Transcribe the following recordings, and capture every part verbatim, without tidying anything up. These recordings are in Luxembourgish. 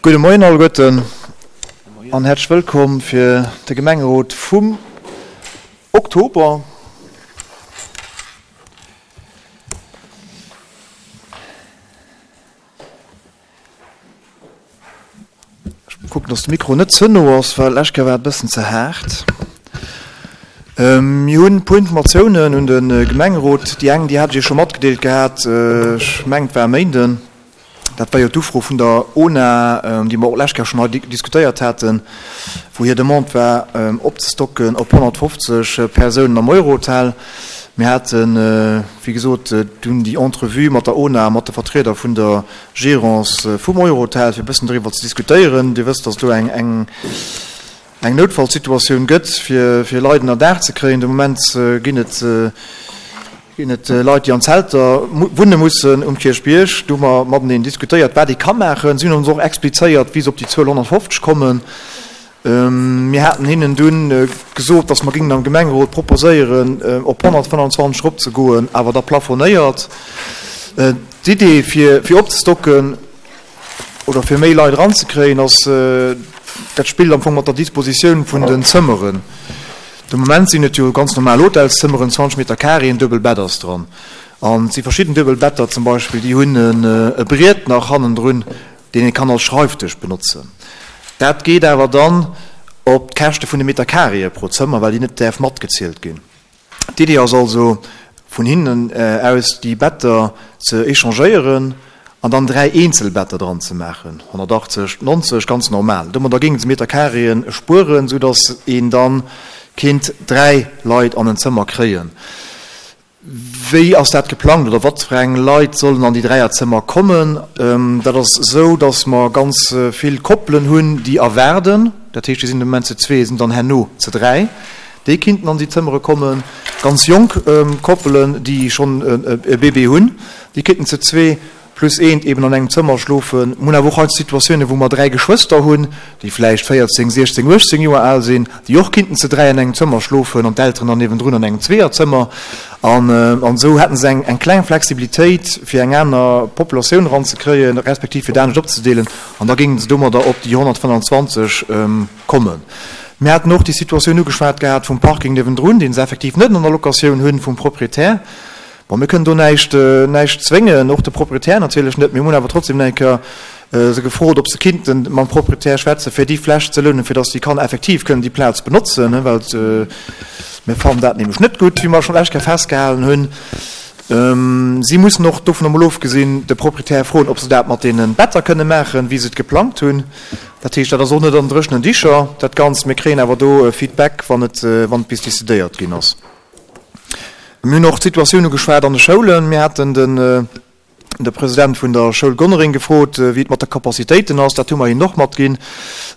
Gudde Moien alleguerten an häerzlech wëllkomm fir de Gemengerot vum Oktober. Ech kucken, dass de Mikro net ze no ass, well d'lescht Kéier war et e bëssen ze haart. Mir hunn e puer Informatiounen un de Gemengerot. Déi eng, déi hat ech Iech scho matgedeelt gehat, ech mengen, et war e Méinden. Dat war jo d'Ufro vun der ONA, déi mer och d'lescht Kéier schonn hei diskutéiert haten, wou hir Demande war, opzestocken op honnertfofzeg Persounen am Eurohotel. Mir haten, wéi gesot, dunn déi Entrevue mat der ONA a mat de Vertrieder vun der Gérance vum Eurohotel, fir e bëssen doriwwer ze diskutéieren. Dir wësst, dass do eng, eng, eng Noutfallsituatioun gëtt, fir, fir Leit ënner Daach ze kréien. De Moment ginn et, ginn et Leit, déi an Zelter wunne mussen um Kierchbierg. Do hu mer mateneen diskutéiert, wat ee ka maachen. Si hunn ons och explizéiert, wéi se op déi Zuel honnertfofzeg kommen. Mir haten hinnen dunn gesot, dass mer géingen am Gemengerot proposéieren, op honnertfënnanzwanzeg eropzegoen, awer da plafonéiert. D'Idee, fir, fir opzestocken oder fir méi Leit eranzekréien, ass, dat spillt am Fong mat der Dispositioun vun den Zëmmeren. De Moment sinn et jo ganz normal Hotelszëmmeren, zwanzeg Meter carré, en duebel Bett ass dran. An et si verschidden duebel Better zum Beispill, déi hunn e Briet nach hannendrun, deen ee kann als Schreifdësch benotzen. Dat geet awer dann op d'Käschte vun de Meter carréë pro Zëmmer, well déi net däerf matgezielt ginn. D'Idee ass also vun hinnen aus déi Better ze échangéieren an dann dräi eenzel Better dran ze maachen, honnertachtzeg, nonzeg, ganz normal. Domadder géinge se Meter carréen spueren, sou datt een dann kéint dräi Leit an en Zëmmer kréien. Wéi ass dat geplangt oder wat fir eng Leit sollen an déi Dräierzëmmer kommen? Dat ass esou, datt mer ganz vill Koppelen hunn, déi erwaarden. Dat heescht, déi sinn de Moment zu zwee, sinn dann herno zu dräi. Déi kinnten an déi Zëmmere kommen. Ganz jonk Koppelen, déi schonn e Bébé hunn, déi kinnten zu zwee plus eent eben an engem Zëmmer schlofen. Mir hunn awer och hei Situatiounen, wou mer dräi Geschwëster hunn, déi vläicht véierzéng, siechzéng, uechtzéng Joer al sinn, déi och kinnten zu dräi an engem Zëmmer schlofen an d'Elteren dann niewendrun an engem Zweeërzëmmer. An esou hätte se eng kleng Flexibilitéit, fir eng aner Populatioun eranzekréien, respektiv fir et anescht opzedeelen. An da géinge se domadder op déi honnertfënnanzwanzeg kommen. Mir haten och déi Situatioun ugeschwat gehat vum Parking niewendrun, dee se effektiv net an der Locatioun hunn vum Proprietär. Bon, mir kënnen do näischt, näischt zwéngen, och de Proprietär natierlech net. Mir hunn awer trotzdem eng Kéier se gefrot, ob se kinnten mam Proprietär schwätzen, fir déi Fläch ze lounen, fir dass déi Kanner effektiv kënnen déi Plaz benotzen, well mir fannen dat nämlech net gutt, wéi mer schonn d'lescht Kéier festgehalen hunn. Si mussen och, dovun emol ofgesinn, de Proprietär froen, ob se dat mat deene Better kënne maachen, wéi se et geplangt hunn. Dat heescht, dat ass och net an dréchenen Dicher, dat Ganzt. Mir kréien awer do Feedback, wann et, wann et bis decidéiert ginn ass. Mir hunn och d'Situatioun ugeschwat an de Schoulen. Mir haten den de President vun der Schoul Gonnereng gefrot, wéi et mat de Capacitéiten ass. Dat hu mer hinnen och matginn,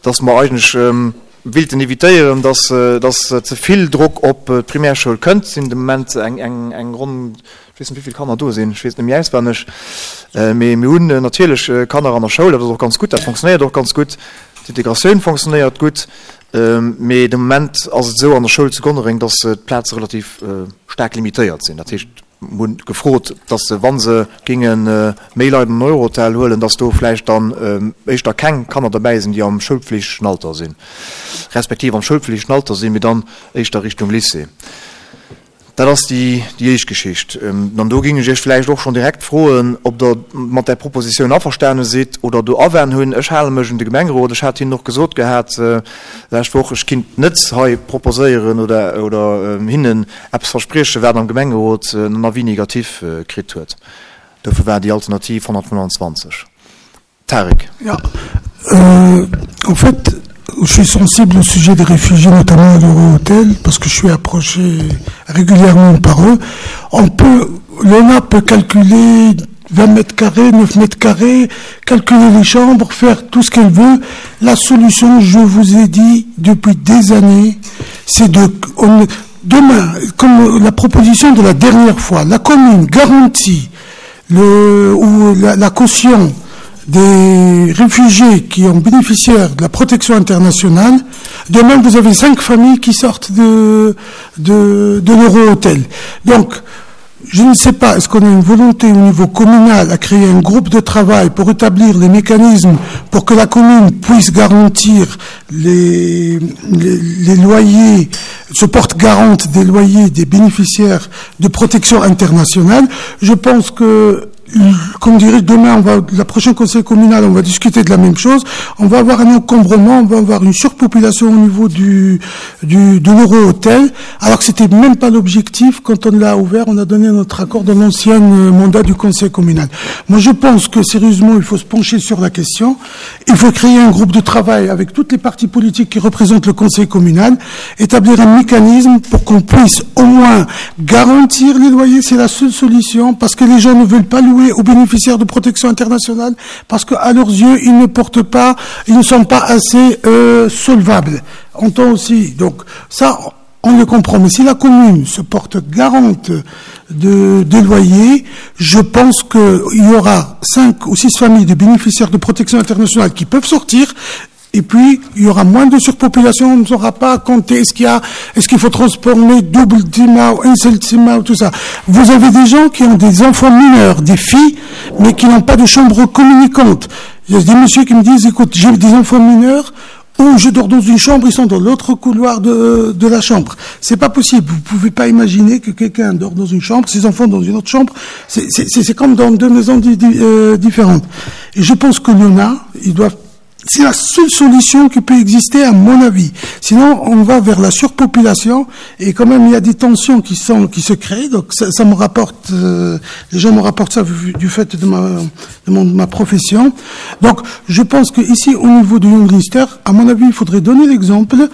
dass mer eigentlech willten evitéieren, dass dass ze vill Drock op d'Primärschoul kënnt. Et sinn de Moment eng eng eng ronn, ech weess net, wéi vill Kanner do sinn, ech weess et net méi auswenneg, mee mir hunn natierlech Kanner an der Schoul. Dat ass och ganz gutt, dat fonctionnéiert och ganz gutt. D'Integratioun fonctionnéiert gutt. Mee de Moment ass et esou an der Schoul zu Gonnereng, datt d'Plaze relativ staark limitéiert sinn. Dat heescht, mir hunn gefrot, datt se, wa se géinge méi Leit an den Eurohotel huelen, datt do vläicht dann éischter keng Kanner derbäi sinn, déi am schoulpflichtegen Alter sinn, respektiv am schoulpflichtegen Alter sinn, mee dann éischter Richtung Lycée. Dat ass déi éischt Geschicht. An do géing ech Iech vläicht och schonn direkt froen, ob Der mat där Propositioun averstane sidd oder do Awänn hunn. Ech hale mech un de Gemengerot. Ech hat hinnen och gesot gehat d'lescht Woch, ech kinnt net hei proposéieren oder, oder hinnen eppes verspriechen, wat am Gemengerot en Avis négatif kritt huet. Dofir war déi Alternativ honnertfënnanzwanzeg. Tarik. Ja, euh, en fait, je suis sensible au sujet des réfugiés, notamment à l'Euro-Hôtel, parce que je suis approché régulièrement par eux. On peut, l'ONA peut calculer vingt mètres carrés, neuf mètres carrés, calculer les chambres, faire tout ce qu'elle veut. La solution, je vous ai dit depuis des années, c'est de, on, demain, comme la proposition de la dernière fois, la commune garantit le, ou la, la caution des réfugiés qui ont bénéficié de la protection internationale. Demain, vous avez cinq familles qui sortent de, de, de l'Euro-Hôtel. Donc, Je ne sais pas, est-ce qu'on a une volonté au niveau communal à créer un groupe de travail pour établir les mécanismes pour que la commune puisse garantir les, les, les loyers, se porte garante des loyers des bénéficiaires de protection internationale. Je pense que comme dirait demain, on va, la prochaine conseil communal, on va discuter de la même chose. On va avoir un encombrement, on va avoir une surpopulation au niveau du, du, de l'euro-hôtel, alors que c'était même pas l'objectif. Quand on l'a ouvert, on a donné notre accord dans l'ancien mandat du conseil communal. Moi, je pense que sérieusement, il faut se pencher sur la question. Il faut créer un groupe de travail avec toutes les partis politiques qui représentent le conseil communal, établir un mécanisme pour qu'on puisse au moins garantir les loyers. C'est la seule solution parce que les gens ne veulent pas louer aux bénéficiaires de protection internationale parce qu'à leurs yeux, ils ne portent pas, ils ne sont pas assez euh, solvables. Entend aussi. Donc ça, on le comprend. Mais si la commune se porte garante de, des loyers, je pense qu'il y aura cinq ou six familles de bénéficiaires de protection internationale qui peuvent sortir. Et puis, il y aura moins de surpopulation, on ne saura pas compter est-ce qu'il y a, est-ce qu'il faut transformer double Zimmer ou un seul Zimmer ou tout ça. Vous avez des gens qui ont des enfants mineurs, des filles, mais qui n'ont pas de chambre communicante. Il y a des messieurs qui me disent, écoute, j'ai des enfants mineurs, ou je dors dans une chambre, ils sont dans l'autre couloir de, de la chambre. C'est pas possible. Vous pouvez pas imaginer que quelqu'un dort dans une chambre, ses enfants dans une autre chambre. C'est, c'est, c'est comme dans deux maisons di, di, euh, différentes. Et je pense que l'ONA, ils doivent C'est la seule solution qui peut exister, à mon avis. Sinon, on va vers la surpopulation et quand même, il y a des tensions qui sont, qui se créent. Donc, ça, ça me rapporte, euh, les gens me rapportent ça du, du fait de ma, de mon, de ma profession. Donc, je pense que ici, au niveau du Junglinster, à mon avis, il faudrait donner l'exemple,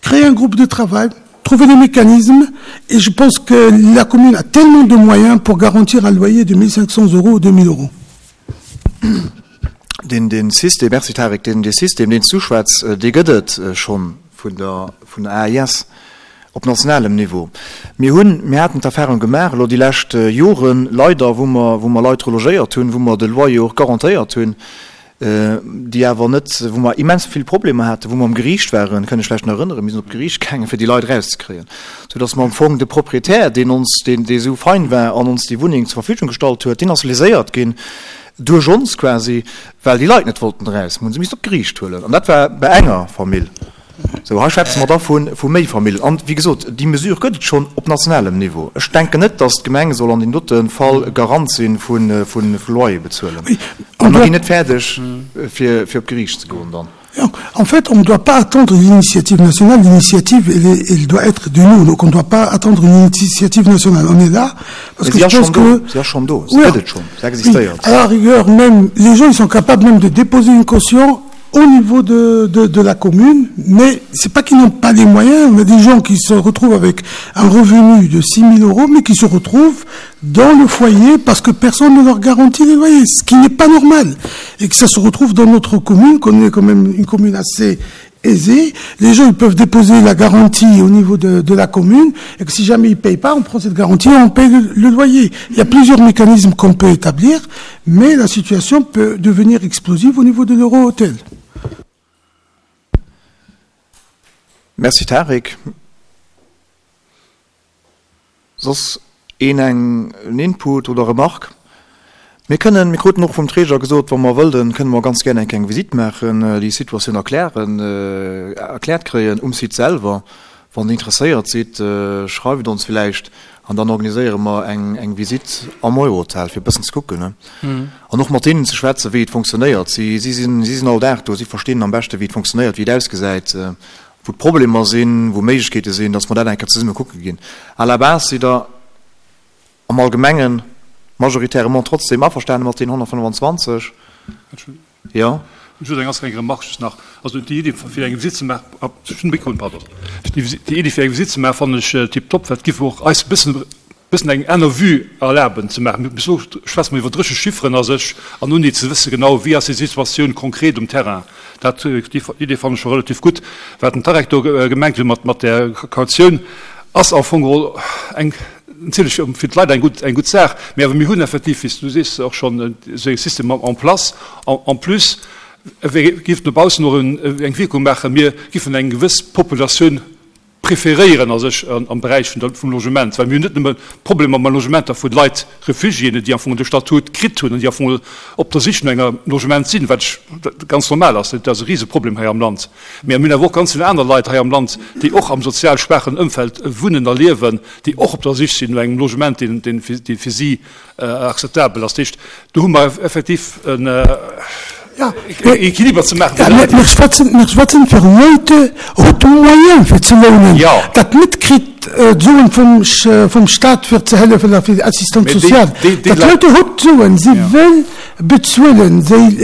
créer un groupe de travail, trouver des mécanismes, et je pense que la commune a tellement de moyens pour garantir un loyer de mille cinq cents euros ou deux mille euros. Den, den System, merci Tarek, den, den System, den du schwätz, dee gëtt et schonn vun der, vun der A I S op nationalem Niveau. Mir hunn, mir haten d'Erfahrung gemaach, lo déi lescht Joren, leider, wou mer, wou mer Leit relogéiert hunn, wou mer de Loyer och garantéiert hunn, äh, déi awer net, wou mer immens vill Probleme haten, wou mer am Gericht waren, kann ich vielleicht noch erinnern, mir sind op Gericht gegangen, fir déi Leit rauszukriegen. So dass man am Fong de Proprietär, den ons, den, dee so fein war, an ons die Wohnung zur Verfügung gestallt huet, den ass léséiert ginn, durch uns quasi, weil die Leute nicht wollten raus, mussten sie mich op Gericht holen. Und das war bei enger Familie. So, hier schwätzen wir davon, von mehr Familien. Und wie gesagt, die Mesure gëtt schon op nationalem Niveau. Ich denke nicht, dass die Gemeinde soll an den dritten Fall Garant sind von, von, von Loyer bezahlen. Oui. Und wir gehen nicht fertig, für, für auf Gericht zu gehen dann. Ja, en fait, on ne doit pas attendre une initiative nationale. L'initiative, elle est, elle doit être de nous. Donc, on ne doit pas attendre une initiative nationale. On est là parce Mais que c'est je pense un que chando. C'est un chando. C'est Oui. peut-être chando. Ça existe Oui. ailleurs. À la rigueur, même, les gens, ils sont capables même de déposer une caution au niveau de, de, de la commune, mais c'est pas qu'ils n'ont pas les moyens. On a des gens qui se retrouvent avec un revenu de six mille euros, mais qui se retrouvent dans le foyer parce que personne ne leur garantit les loyers, ce qui n'est pas normal. Et que ça se retrouve dans notre commune, qu'on est quand même une commune assez aisée. Les gens, ils peuvent déposer la garantie au niveau de, de la commune, et que si jamais ils payent pas, on prend cette garantie et on paye le, le loyer. Il y a plusieurs mécanismes qu'on peut établir, mais la situation peut devenir explosive au niveau de l'euro-hôtel. Merci Tarek. Sos een eng en Input oder Remarque? Wir können, wir kruten noch vom Träger gesagt, wenn wir wollen, können wir ganz gerne eng Visite machen, äh, die Situation erklären, äh, erklärt kriegen, um sich selber. Wenn ihr interessiert seid, äh, schreibt uns vielleicht und dann organisieren wir eng, eng Visite am Eurohotel für ein bisschen zu gucken. Ne? Mhm. Und noch mit denen zu schwätzen, wie es funktioniert. Sie, sie sind, sie sind all da, sie verstehen am besten, wie es funktioniert, wie es ausgesehen, äh, wo die Probleme sind, wo Möglichkeiten sind, dass wir dann einfach zusammen gucken gehen. À la base sind da am Allgemeinen majoritairement trotzdem einverstanden mit den hundertfünfundzwanzig. Entschuldigung. Ja. Ich würde ganz gerne Remarque just nach. Also die Idee für eine Visite zu machen, ab, schon Mikro, pardon. Die, die Idee für eine Visite zu machen, fand ich, äh, tipptopp, weil es gibt auch ein bisschen, bisschen eine andere Vue erlauben zu machen. Mit so schwätzen wir über drische Chiffren, also ich, an nun nicht zu wissen genau, wie ist die Situation konkret im Terrain. Das, äh, die Idee fand ich schon relativ gut. Wir hatten Tarek da, äh, gemerkt, mit, mit der Kaution, ass auch von eng, natürlich für die Leute ein gut, ein gut Sache. Aber wir haben effektiv, wie du siehst, auch schon, äh, so ein System en place. En, en plus, wir geben nur draußen noch ein, eine Wirkung machen, wir geben eine gewisse Population preferéieren a sech am Beräich vun der, vum Logement, well mir hunn net nëmme Problemer mat Logementer vu Leit, Refugiéen, déi am Fong de Statut kritt hunn an déi am Fong op der Sich no enger Logement sinn, wat ganz normal ass, dat ass e Riseproblem hei am Land. Mä mir hunn awer och ganz vill aner Leit hei am Land, déi och am sozial schwaachen Ëmfeld wunnen a liewen, déi och op der Sich sinn no engem Logement, deen, deen fir si akzeptabel ass. Dat heescht, do hu mer effektiv en Equiliber ze maachen. Ja, mir schwätzen, mir schwätzen fir Leit huet de Moyen fir ze lounen, dat net kritt d'Suen vum, vum Staat fir ze hëllefen a fir Assistance sociale. Dat Leit huet d'Suen, si wëll bezuelen déi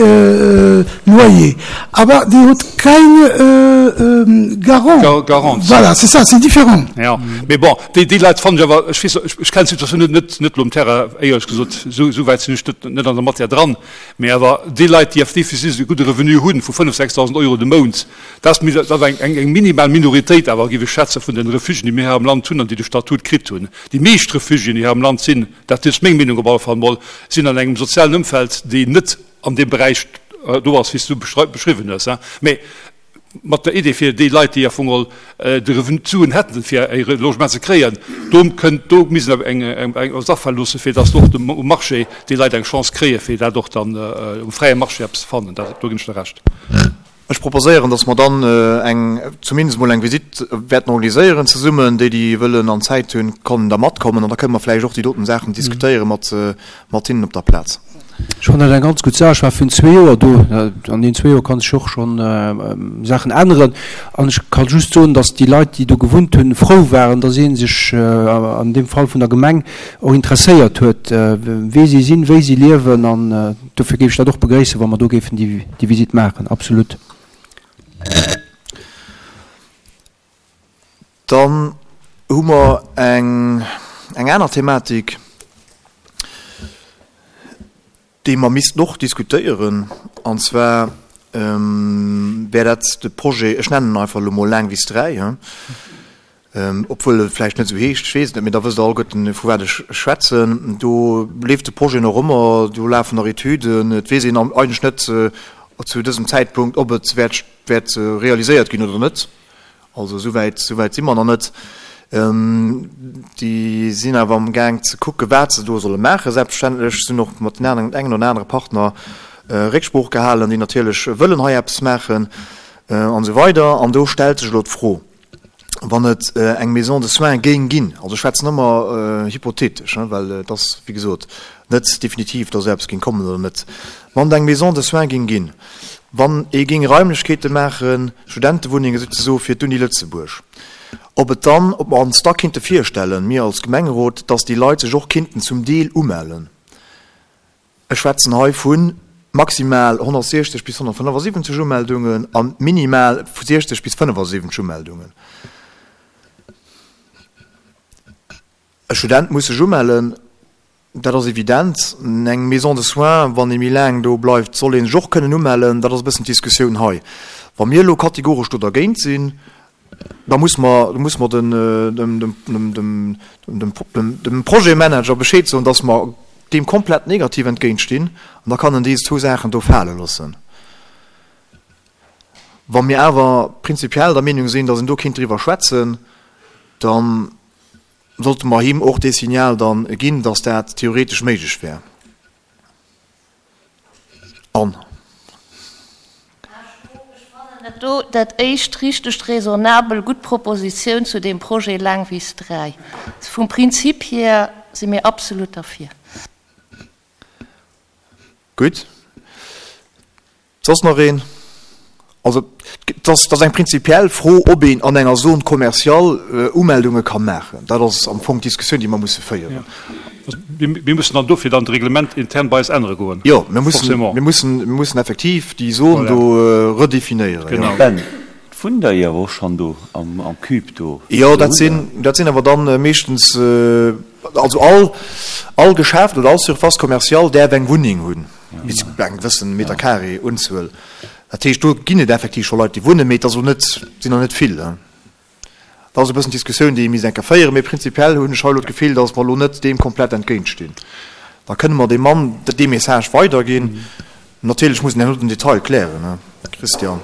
Loyer, awer déi huet keng Garant. Garant. Voilà, c'est ça, c'est différent. Ja, mee bon, déi, déi Leit fannen ech awer, ech weess, ech kennen d'Situatioun net, net, net elo um Terrain, éierlech gesot, esou, esou wäit sinn ech net, net an der Matière dran. Mee awer déi Leit, déi effektiv e gudde Revenu hunn vu fënnef, sechsdausend Euro de Mount, dat ass dat ass eng, eng minimal Minoritéit awer, géif ech schätzen, vun de Refugiéen, déi mir hei am Land hunn an déi de Statut kritt hunn. Déi meescht Refugiéen, déi hei am Land sinn, dat ass meng Meenung op alle Fall emol, sinn an engem sozialen Ëmfeld, déi net an deem Beräich do ass, wéi s du beschriwwen hues. Mee mat der Idee fir déi Leit, déi am Fong geholl de Revenu, d'Suen hätten, fir e Logement ze kréien, do kënnt, do misst een eng, eng, eng eppes afale loosse, fir datt och um Marché déi Leit eng Chance kréien, fir dat och dann um fräie Marché eppes ze fannen. Dat, do ginn ech der Recht. Ech proposéieren, datt mer dann eng, zumindest emol eng Visitt wäerten organiséieren zesummen. Déi, déi wëllen an Zäit hunn, kënnen da matkommen an da kënne mer vläicht och déi doten Saachen diskutéiere mat, mat hinnen op der Plaz. Ech fannen dat eng ganz gutt Saach. Ech war virun zwee Joer do. An deenen zwee Joer kann sech och schonn Saachen änneren. An ech ka just soen, datt déi Leit, déi do gewunnt hunn, frou waren, datt ee sech an deem Fall vun der Gemeng och interesséiert huet, wee si sinn, wéi si liewen. An dofir géif ech dat och begréissen, wa mer do géifen déi Visitt maachen. Absolut. Dann hu mer eng aner Thematik, déi mer missten och diskutéieren, an zwar wär dat de Projet, ech nennen en einfach elo mol Laangwiss dräi, obwuel e vläicht net esou heescht, ech weess et net, mee da wësst Der alleguerten, vu wat ech schwätzen. Do leeft de Projet nach ëmmer, do lafen nach Etüden, et weess een eigentlech net zu dësem Zäitpunkt, ob et wäert wäert realiséiert ginn oder net. Also esouwäit, esouwäit si mer nach net. Déi sinn awer am Gaang ze kucken, wat se do solle maachen. Selbstverständlech sinn och mat den aneren, engen oder anere Partner Récksprooch gehalen, déi natierlech wëllen hei eppes maachen an esou weider. An do stellt sech elo d'Fro, wann et eng Maison de soins géing ginn, also ech schwätzen ëmmer hypothetesch, well et ass, wéi gesot, net definitiv, datt esou eppes géing kommen oder net, wann et eng Maison de soins géing ginn, wann ee géing Raimlechkeete maachen, Studentewunnenge souzesoe fir d'Uni Lëtzebuerg, ob et dann, ob mer ons da kinnte virstellen, mir als Gemengerot, datt déi Leit sech och kinnten zum Deel umellen. Ech schwätzen hei vu maximal honnertsiechzeg bis honnertfënnefasiwwenzeg Umeldungen a minimal vu siechzeg bis fënnefasiwwenzeg Umeldungen. E Student muss sech umellen, dat ass evident. Eng Maison de soins, wann ee méi laang do bleift, soll ee sech och kënnen umellen. Dat ass e bëssen d'Diskussioun hei. Wa mir elo kategoresch do dergéint sinn, da muss mer, da muss mer den, dem, dem, dem, dem, dem, dem Projetmanager Bescheed soen, dass mer deem komplett negativ entgéintstinn, an da kann en déi zwou Saachen do fale loossen. Wa mir awer prinzipiell der Meenung sinn, dass een do kéint driwwer schwätzen, da sollte mer him och dee Signal dann ginn, dass dat theoretesch méiglech wär. An. Ech fannen dat do dat éischt richtegt raisonnabel gutt Propositioun zu deem Projet Laangwiss dräi. Vum Prinzip hier si mir absolut derfir. Gutt. Soss nach een? Also, et ass eng prinzipiell Fro, ob een an enger Zone commerciale Umeldunge ka maachen. Dat ass am Fong d'Diskussioun, déi mer musse féieren. Mir mussen dann dofir dann d'Reglement intern bei eis ännere goen. Jo, mir mussen, mir mussen, mir mussen effektiv déi Zone do redefinéieren. Genau. Ben, et wunnt der jo awer och schonn do am, am Cube do. Jo, dat sinn, dat sinn awer dann meeschtens, also all, all Geschäft oder all Surface commerciale däerf eng Wunneng hunn, bis eng gewëssen Metercarré-Unzuel. Dat heescht, do ginn et effektiv scho Leit, déi wunnen, mee et ass elo net, sinn der net vill. Dat ass e bëssen d'Diskussioun, déi ee misst eng Kéier féieren. Mee prinzipiell hunn ech hei elo d'Gefill, datt mer elo net deem komplett entgéintstinn. Da kënne mer deem Mann dee Message weiderginn. Natierlech muss en herno den Detail klären. Christian.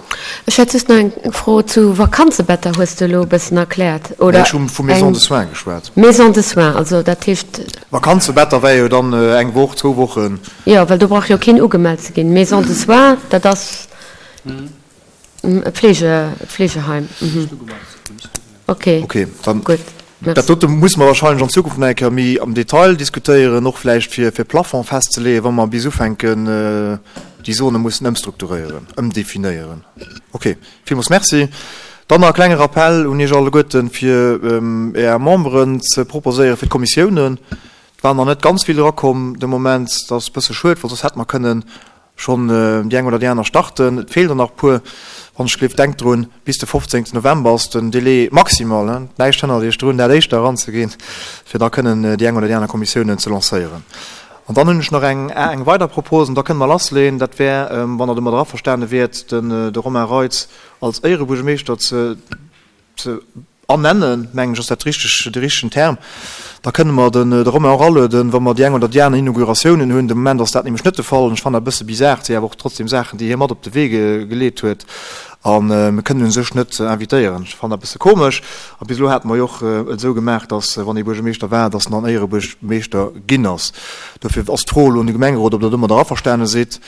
Ech hätt just nach eng Fro zu Vakanzebetter, hues de elo e bëssen erkläert, oder? Nee, ech hu vu Maison de soins geschwat. Maison de soins, also dat heescht. Vakanzebetter wär jo dann eng Woch, zwou Wochen. Jo, well do brauch jo keen ugemellt ze ginn. Maison de soins, dat ass e Pflege, e Pflegeheim. Okay. Okay, dann. Gutt, merci. Dat dote musse mer wahrscheinlech an Zukunft nach eng Kéier méi am Detail diskutéieren, och vläicht fir fir Plafond festzeleeën, wa mer bis ufänken, déi Zone mussen ëmstrukturéieren, ëmdefinéieren. Okay, villmools merci. Dann nach e klenge Rappell un Iech alleguerten, fir Är Memberen ze proposéieren fir d'Kommissiounen. Et waren nach net ganz vill erakomm de Moment. Dat ass e bësse schued, well soss hätte mer kënnen schonn déi eng oder déi aner starten. Et feelen der nach e puer. Wann ech gleef, denkt drun, bis de fofzéngten November ass den Délai maximal. Näischt hënnert Iech drun, dat éischter eranzeginn, fir da kënnen déi eng oder déi aner Kommissiounen ze lancéieren. An dann hunn ech nach eng eng weider Propos, an da kënne mer lassleeën. Dat wär, wann Der domadder averstane wiert, den de Romain Reitz als Éierebuergermeeschter ze ze ernennen, mengen ech, ass dat richteg, de richtegen Term. Da kënne mer den de Romain och alueden, wa mer déi eng oder déi aner Inauguratiounen hunn. De Moment ass dat nämlech net de Fall an ech fannen dat e bësse bizar. Et si awer och trotzdem Saachen, déi hie mat op de Wee geleet huet a mir kënnen u sech net invitéieren. Ech fannen dat e bësse komesch. A bis elo hate mer jo och et esou gemaach, datt wann ee Buergermeeschter war, datt en dann Éierebuergermeeschter ginn ass. Dofir ass d'Fro elo un de Gemengerot, ob Der domadder averstane sidd.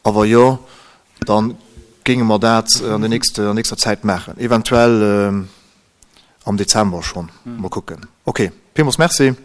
A wa jo, da géinge mer dat an der nächster Zäit maachen, eventuell am Dezember schonn. Mol kucken. Ok, villmools Merci.